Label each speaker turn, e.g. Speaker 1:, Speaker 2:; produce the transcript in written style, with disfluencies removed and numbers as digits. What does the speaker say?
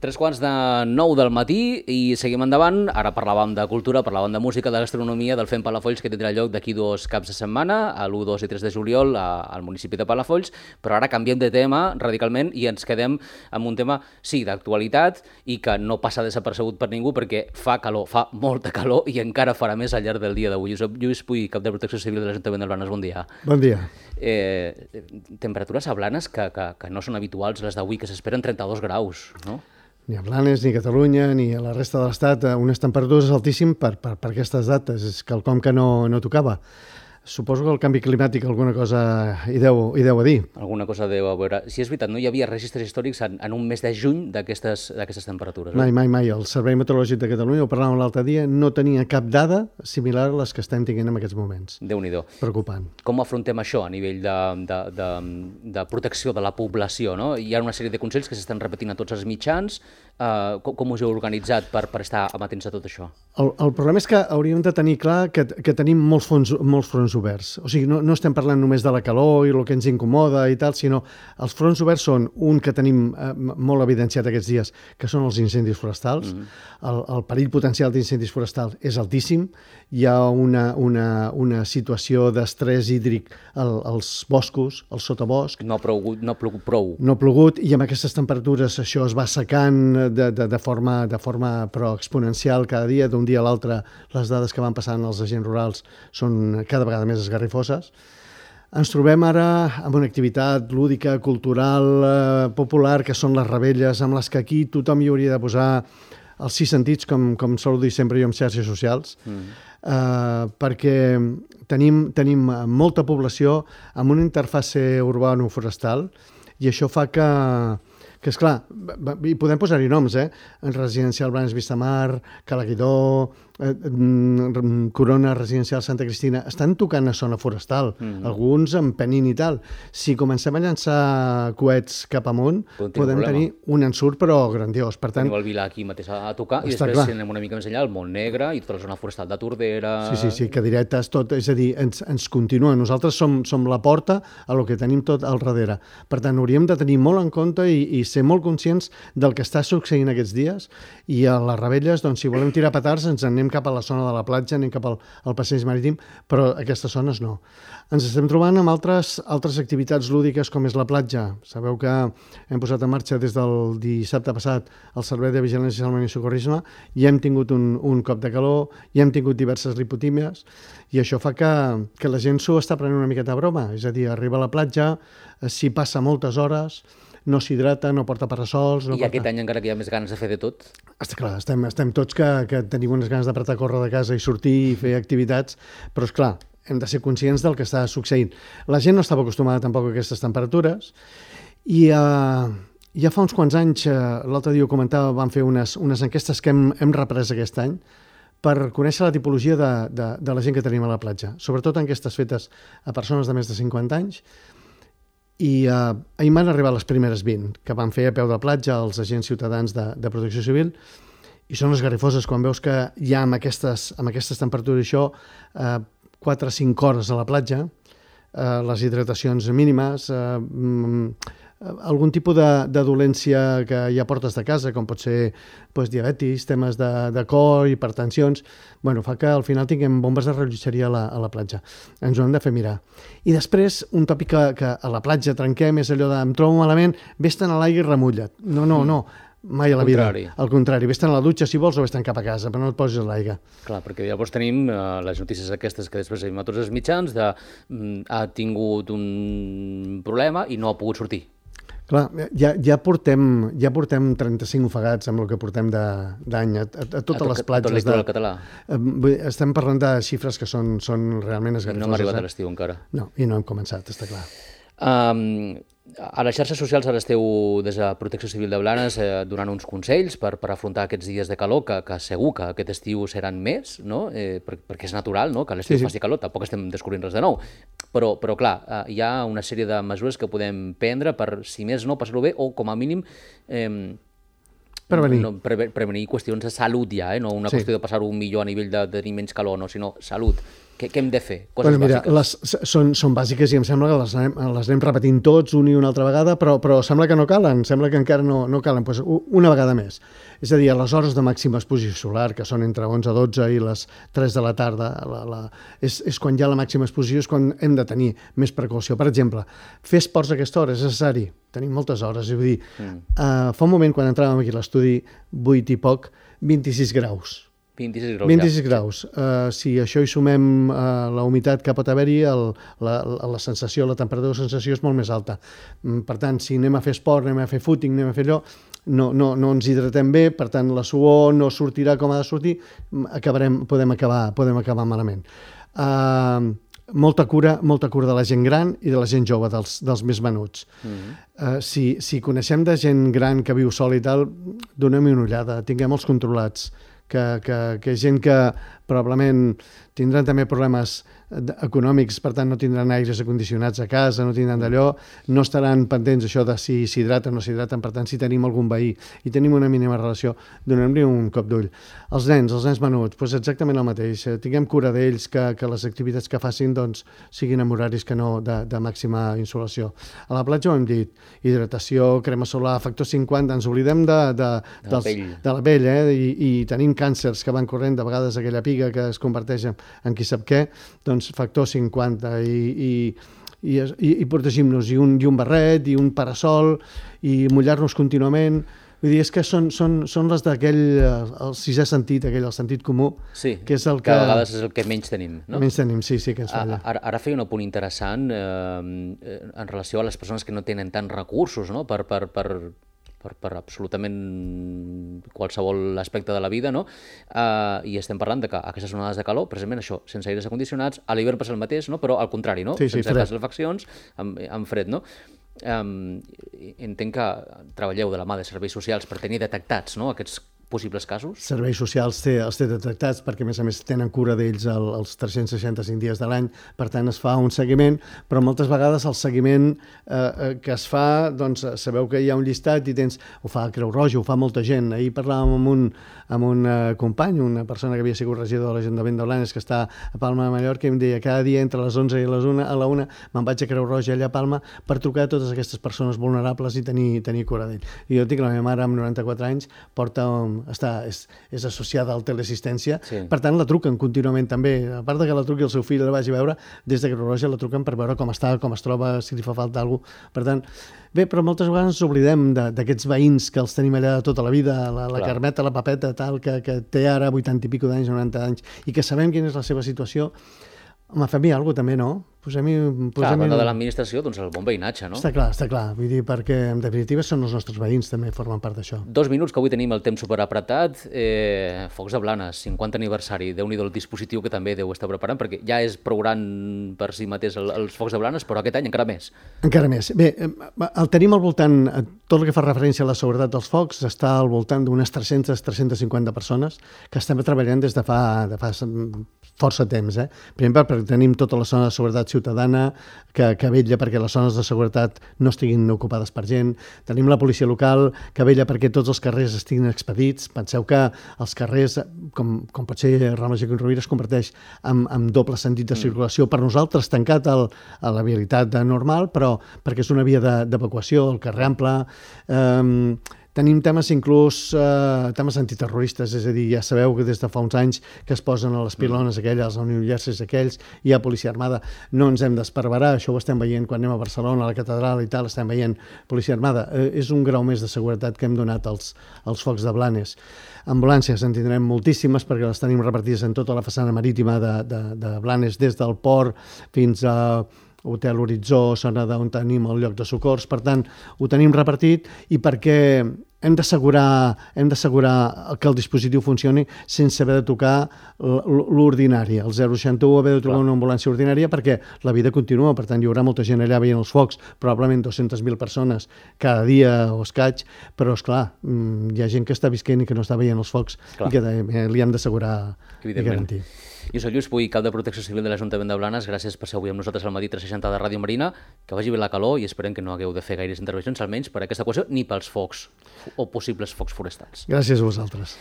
Speaker 1: 3:45 del matí i seguim endavant. Ara parlàvem de cultura, parlàvem de música, de gastronomia, del Fem Palafolls, que tindrà lloc d'aquí 2 caps de setmana, l'1, 2 i 3 de juliol al municipi de Palafolls, però ara canviem de tema radicalment i ens quedem amb un tema, sí, d'actualitat i que no passa desapercebut per ningú perquè fa calor, fa molta calor i encara farà més al llarg del dia d'avui. Josep Lluís Puy, cap de Protecció Civil de l'Ajuntament de Blanes, bon dia.
Speaker 2: Bon dia.
Speaker 1: Temperatures a Blanes que no són habituals, les d'avui, que s'esperen 32 graus, no?
Speaker 2: Ni a Blanes, ni a Catalunya, ni a la resta de l'Estat, unes temperatures altíssimes per aquestes dates. És quelcom que no tocava. Suposo que el canvi climàtic alguna cosa hi deu a dir.
Speaker 1: Alguna cosa deu a veure. Si és veritat, no hi havia registres històrics en un mes de juny d'aquestes temperatures.
Speaker 2: Mai. El Servei Meteorològic de Catalunya, ho parlàvem l'altre dia, no tenia cap dada similar a les que estem tenint en aquests moments.
Speaker 1: Déu-n'hi-do.
Speaker 2: Preocupant.
Speaker 1: Com afrontem això a nivell de protecció de la població, no? Hi ha una sèrie de consells que s'estan repetint a tots els mitjans. Com us heu organitzat per estar amatents a tot això?
Speaker 2: El problema és que hauríem de tenir clar que tenim molts fronts oberts. O sigui, no estem parlant només de la calor i el que ens incomoda i tal, sinó els fronts oberts són un que tenim molt evidenciat aquests dies, que són els incendis forestals. El perill potencial d'incendis forestals és altíssim. Hi ha una situació d'estrès hídric als boscos, al sotabosc.
Speaker 1: No ha plogut prou.
Speaker 2: No ha plogut i amb aquestes temperatures això es va secant de forma però exponencial cada dia. D'un dia a l'altre les dades que van passant als agents rurals són cada vegada més esgarrifoses. Ens trobem ara amb una activitat lúdica, cultural, popular, que són les revetlles, amb les que aquí tothom hi hauria de posar els 6 sentits, com sol dir sempre jo en xarxes socials, perquè tenim molta població amb una interfase urbano-forestal i això fa que esclar, hi podem posar-hi noms, en Residencial Blanes Vistamar, Calaguidó, Corona Residencial Santa Cristina, estan tocant a zona forestal, alguns amb penin i tal. Si comencem a llançar coets cap amunt, podem tenir un ensurt però grandiós. Per tant,
Speaker 1: tenim el Vilà aquí mateix a tocar i després si anem una mica més enllà, el Montnegre i tota la zona forestal de Tordera...
Speaker 2: Sí, cadiretes, tot, és a dir, ens continua. Nosaltres som la porta a lo que tenim tot al darrere. Per tant, hauríem de tenir molt en compte i ser molt conscients del que està succeint aquests dies i a les revetlles, doncs, si volem tirar petards, ens anem cap a la zona de la platja, anem cap al passeig marítim, però aquestes zones no. Ens estem trobant amb altres activitats lúdiques com és la platja. Sabeu que hem posat en marxa des del dissabte passat el Servei de Vigilància, Salvament i Socorrisme i hem tingut un cop de calor i hem tingut diverses lipotímies i això fa que la gent s'ho està prenent una miqueta a broma. És a dir, arriba a la platja, s'hi passa moltes hores, no s'hidrata, no porta parasols...
Speaker 1: I aquest any encara que hi ha més ganes de fer de tot?
Speaker 2: Està clar, estem tots que tenim unes ganes d'apretar a córrer de casa i sortir i fer activitats, però és clar, hem de ser conscients del que està succeint. La gent no estava acostumada tampoc a aquestes temperatures i ja fa uns quants anys, l'altre dia ho comentava, vam fer unes enquestes que hem reprès aquest any per conèixer la tipologia de la gent que tenim a la platja, sobretot enquestes fetes a persones de més de 50 anys. I ahir m'han arribat les primeres 20 que van fer a peu de platja els agents ciutadans de Protecció Civil i són esgarrifoses quan veus que hi ha amb aquestes temperatures això 4 o 5 hores a la platja, les hidratacions mínimes, algun tipus de dolència que ja portes de casa, com pot ser diabetis, temes de cor, hipertensions, fa que al final tinguem bombes de rellotgeria a la platja. Ens ho hem de fer mirar. I després, un tòpic que a la platja trenquem és allò de em trobo malament, vés-te'n a l'aigua i remulla't. No, mai a la vida. Al contrari, vés-te'n a la dutxa si vols o vés-te'n cap a casa, però no et posis a l'aigua.
Speaker 1: Clar, perquè llavors tenim les notícies aquestes que després veiem a tots els mitjans ha tingut un problema i no ha pogut sortir.
Speaker 2: Clar, ja portem 35 ofegats amb el que portem d'any a totes les platges.
Speaker 1: A tot litoral català.
Speaker 2: Estem parlant de xifres que són realment esgarrifoses.
Speaker 1: No hem arribat a l'estiu encara.
Speaker 2: No, i no hem començat, està clar.
Speaker 1: A les xarxes socials ara esteu des de Protecció Civil de Blanes donant uns consells per afrontar aquests dies de calor que segur que aquest estiu seran més, no? Perquè és natural, no? Que a l'estiu faci calor, tampoc estem descobrint res de nou. Però clar, hi ha una sèrie de mesures que podem prendre per, si més no, passar-ho bé o com a mínim prevenir qüestions de salut ja, no una qüestió de passar-ho millor a nivell de tenir menys calor, no, sinó salut. Què hem de fer? Coses bàsiques.
Speaker 2: Són bàsiques i em sembla que les anem repetint tots una i una altra vegada, però sembla que no calen, sembla que encara no calen. Pues una vegada més. És a dir, a les hores de màxima exposició solar, que són entre 11 a 12 i les 3 de la tarda, és quan hi ha la màxima exposició, és quan hem de tenir més precaució. Per exemple, fer esports a aquesta hora és necessari. Tenim moltes hores. És a dir, fa un moment, quan entràvem aquí a l'estudi, 8 i poc, 26 graus. 26 graus. Si això hi sumem la humitat que pot haver-hi, la sensació, la temperatura de sensació és molt més alta. Per tant, si anem a fer esport, anem a fer footing, anem a fer allò, no ens hidratem bé, per tant, la suor no sortirà com ha de sortir, podem acabar malament. Molta cura de la gent gran i de la gent jove, dels més menuts. Si coneixem de gent gran que viu sol i tal, donem-hi una ullada, tinguem-els controlats, que gent que probablement tindran també problemes econòmics, per tant no tindran aires acondicionats a casa, no tindran d'allò, no estaran pendents això de si s'hidraten o no s'hidraten, per tant si tenim algun veí i tenim una mínima relació, donem-li un cop d'ull. Els nens menuts, doncs exactament el mateix, tinguem cura d'ells, que les activitats que facin doncs, siguin en horaris que no de màxima insolació. A la platja ho hem dit, hidratació, crema solar, factor 50, ens oblidem de la pell, i tenim càncers que van corrent, de vegades aquella piga que es converteix en qui sap què, doncs factor 50 i protegim-nos, i un barret, i un parasol, i mullar-nos contínuament. Vull dir, és que són les d'aquell, el sisè sentit, el sentit comú, que és el que...
Speaker 1: a vegades és el que menys tenim, no?
Speaker 2: Menys tenim, sí, que ens falla.
Speaker 1: Ara feia un apunt interessant en relació a les persones que no tenen tants recursos, no?, per absolutament qualsevol aspecte de la vida, no? I estem parlant de que aquestes onades de calor, precisament això, sense aires acondicionats, a l'hivern passa el mateix, no? Però al contrari, no? Sense calefaccions, amb fred, no? Entenc que treballeu de la mà de serveis socials per tenir detectats, no?, aquests possibles casos?
Speaker 2: Serveis socials els té detectats perquè, a més, tenen cura d'ells els 365 dies de l'any, per tant es fa un seguiment, però moltes vegades el seguiment que es fa, doncs sabeu que hi ha un llistat i ho fa Creu Roja, ho fa molta gent. Ahir parlàvem amb un company, una persona que havia sigut regidor de l'Ajuntament de Blanes, que està a Palma de Mallorca, i em deia cada dia entre les 11 i a la 1 me'n vaig a Creu Roja allà a Palma per trucar a totes aquestes persones vulnerables i tenir cura d'ells. I jo dic, la meva mare amb 94 anys és associada al teleassistència, per tant la truquen contínuament també, a part que la truqui el seu fill la vagi a veure, des de Creu Roja la truquen per veure com està, com es troba, si li fa falta alguna cosa. Per tant, bé, però moltes vegades ens oblidem d'aquests veïns que els tenim allà tota la vida, la Carmeta, la Papeta, tal, que té ara 80 i pico d'anys, 90 anys, i que sabem quina és la seva situació. Home, fem-hi alguna cosa també, no?
Speaker 1: Clar, a banda de l'administració, doncs el bon veïnatge, no?
Speaker 2: Està clar. Vull dir, perquè en definitiva són els nostres veïns, també formen part d'això.
Speaker 1: 2 minuts, que avui tenim el temps superapretat. Focs de Blanes, 50 aniversari. Déu-n'hi-do el dispositiu que també deu estar preparant, perquè ja és prou gran per si mateix els Focs de Blanes, però aquest any encara més.
Speaker 2: Encara més. Bé, el tenim al voltant, tot el que fa referència a la seguretat dels focs, està al voltant d'unes 300-350 persones que estem treballant des de fa força temps. Primer, perquè tenim tota la zona de seguretat ciutadana que vetlla perquè les zones de seguretat no estiguin ocupades per gent. Tenim la policia local que vetlla perquè tots els carrers estiguin expedits. Penseu que els carrers, com pot ser Rambla Joaquim Rovira, es converteix en doble sentit de circulació. Per nosaltres tancat a la vialitat normal, però perquè és una via d'evacuació, el carrer ample. Tenim temes inclús temes antiterroristes, és a dir, ja sabeu que des de fa uns anys que es posen a les pilones aquelles, als New Jersey aquells, hi ha policia armada. No ens hem d'esparverar, això ho estem veient quan anem a Barcelona, a la catedral i tal, estem veient policia armada. És un grau més de seguretat que hem donat als Focs de Blanes. Ambulàncies en tindrem moltíssimes perquè les tenim repartides en tota la façana marítima de Blanes, des del port fins a Hotel Horitzó, zona on tenim el lloc de socors. Per tant, ho tenim repartit i perquè hem d'assegurar que el dispositiu funcioni sense haver de tocar l'ordinari, el 061, haver de trucar una ambulància ordinària, perquè la vida continua. Per tant, hi haurà molta gent allà veient els focs, probablement 200.000 persones cada dia o escaig, però, esclar, hi ha gent que està visquent i que no està veient els focs i que li hem d'assegurar i garantir.
Speaker 1: Jo soc Lluís Puig, cap de Protecció Civil de l'Ajuntament de Blanes. Gràcies per ser avui amb nosaltres al matí 360 de Ràdio Marina. Que vagi bé la calor i esperem que no hagueu de fer gaires intervencions, almenys per aquesta qüestió, ni pels focs o possibles focs forestals.
Speaker 2: Gràcies a vosaltres.